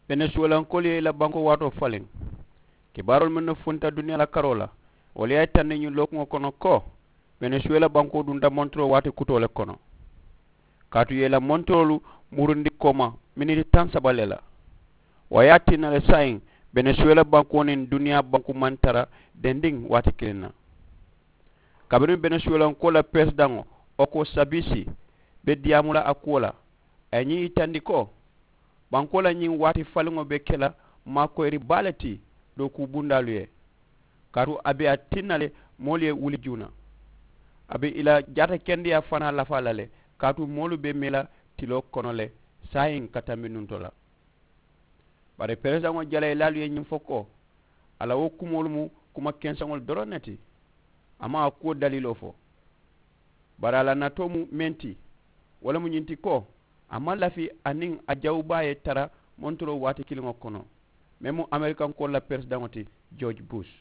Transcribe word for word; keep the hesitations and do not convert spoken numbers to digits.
Benesuwelankoolu ye i la bankoo waatoo faliŋ. Kibaaroolu mennu funta duniyaa la karoo la, wolu ye a yitandi ñiŋ lookuŋo kono ko benesuwela bankoo dunta montoroo waati kutoo le kono. Kaatu i ye i la montoroolu murundi kooma miniti taŋ saba le la. Wo ye a tinna le saayiŋ benesuwela bankoo niŋ duniyaa banku maŋ tara dendiŋ waati kiliŋ na. Kabiriŋ benesuwelankoo la peresidaŋo oko sabisi be diyaamu la a kuwo la, a ye ñiŋ yitandi ko bankoo la ñiŋ waati faliŋo be ke la maakoyiri baa le ti dookuu bundaalu ye. Kaatu a be a tinna le moolu ye wuli juuna. A be i la jaatakendeyaa fanaa lafaa la le, kaatu moolu be mee la tiloo kono le saayiŋ ka tambi nunto la. Bari peresidaŋo jalayilaalu ye ñiŋ fo ko a la wo kumoolu mu kuma kenseŋolu doroŋ ne ti. A maŋ a kuwo daliiloo fo. Bari a la natoo mu meŋ ti, wo le mu ñiŋ ti ko a maŋ lafi aniŋ a jawubaa ye tara montoroo waati kiliŋo kono, meŋ mu amerikankoolu la peresidaŋo ti, george bush.